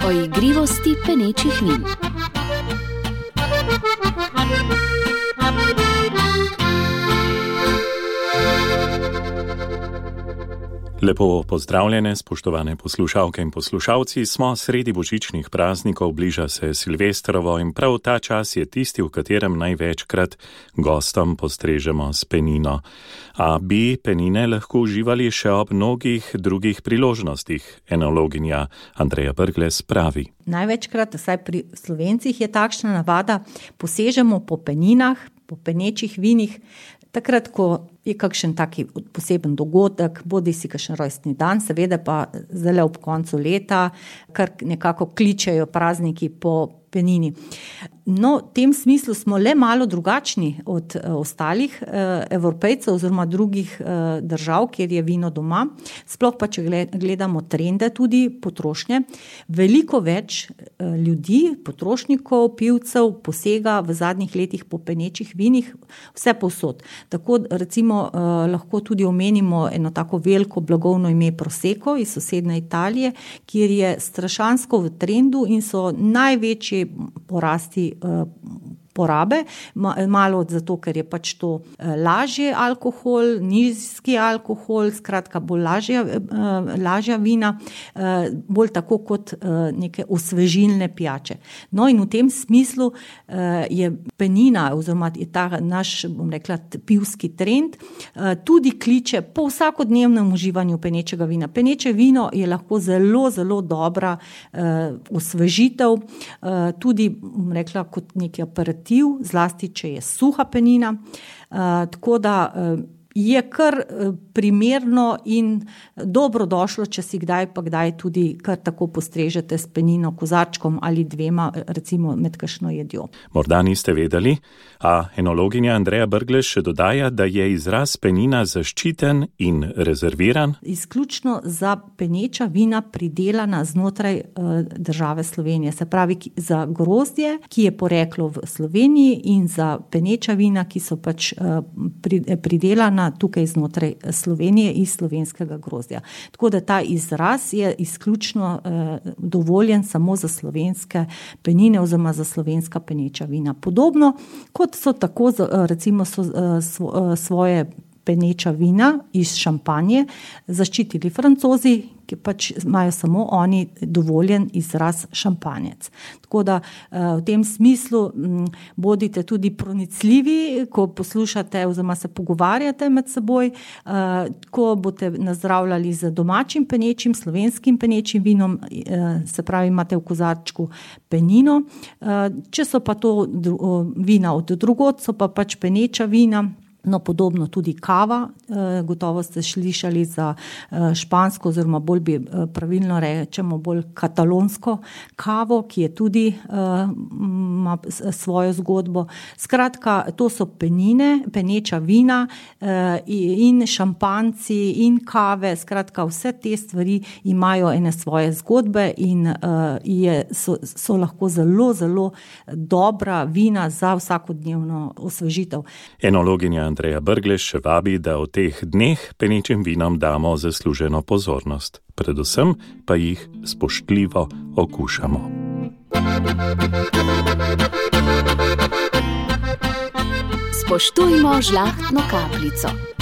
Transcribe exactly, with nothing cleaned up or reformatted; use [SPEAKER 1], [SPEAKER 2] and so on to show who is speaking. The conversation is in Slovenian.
[SPEAKER 1] O igrivosti penečih vin.
[SPEAKER 2] Lepo pozdravljene, spoštovane poslušalke in poslušalci, smo sredi božičnih praznikov, bliža se Silvestrovo in prav ta čas je tisti, v katerem največkrat gostom postrežemo s penino. A bi penine lahko uživali še ob mnogih drugih priložnostih, enologinja Andreja Brglez pravi.
[SPEAKER 3] Največkrat, vsaj pri Slovencih, je takšna navada, posežemo po peninah, po penečih vinih, takrat, ko je kakšen taki poseben dogodek, bodi si kakšen rojstni dan, seveda pa zdaj ob koncu leta, kar nekako kličejo prazniki po penini. No, v tem smislu smo le malo drugačni od ostalih Evropejcev oziroma drugih držav, kjer je vino doma. Sploh pa, če gledamo trende tudi potrošnje, veliko več ljudi, potrošnikov, pivcev posega v zadnjih letih po penečih vinih, vse povsod. Tako recimo lahko tudi omenimo eno tako veliko blagovno ime Prosecco iz sosednje Italije, kjer je strašansko v trendu in so največji porasti porabe, malo zato, ker je pač to lažje alkohol, nizki alkohol, skratka bolj lažja, lažja vina, bolj tako kot neke osvežilne pijače. No in v tem smislu je penina oziroma je ta naš, bom rekla, pivski trend, tudi kliče po vsakodnevnem uživanju penečega vina. Peneče vino je lahko zelo, zelo dobra osvežitev, tudi, bom rekla, kot neki aperitiv, zlasti, če je suha penina, uh, tako da uh, je kar primerno in dobrodošlo, če si kdaj pa kdaj tudi kar tako postrežete s penino, kozarčkom ali dvema, recimo med kakšno jedjo.
[SPEAKER 2] Morda niste vedeli, a enologinja Andreja Brglez še dodaja, da je izraz penina zaščiten in rezerviran.
[SPEAKER 3] Izključno za peneča vina pridelana znotraj uh, države Slovenije, se pravi za grozdje, ki je poreklo v Sloveniji, in za peneča vina, ki so pač uh, pridelana tukaj znotraj Slovenije iz slovenskega grozdja. Tako da ta izraz je izključno eh, dovoljen samo za slovenske penine oziroma za slovenska peneča vina. Podobno kot so tako recimo so, svo, svoje peneča vina iz Šampanje zaščitili Francozi, ki pač imajo samo oni dovoljen izraz šampanjec. Tako da v tem smislu bodite tudi pronicljivi, ko poslušate oziroma se pogovarjate med seboj, ko boste nazdravljali z domačim penečim, slovenskim penečim vinom, se pravi imate v kozarčku penino. Če so pa to vina od drugod, so pa pač peneča vina. No, podobno tudi kava, gotovo ste slišali za špansko oziroma bolj bi pravilno rečemo bolj katalonsko kavo, ki je tudi ima svojo zgodbo. Skratka, to so penine, peneča vina in šampanci in kave, skratka vse te stvari imajo ene svoje zgodbe in je, so, so lahko zelo, zelo dobra vina za vsakodnevno osvežitev.
[SPEAKER 2] Enologinja Andreja Brglez še vabi, da v teh dneh penečim vinom damo zasluženo pozornost. Predvsem pa jih spoštljivo okušamo.
[SPEAKER 1] Spoštujmo žlahtno kapljico.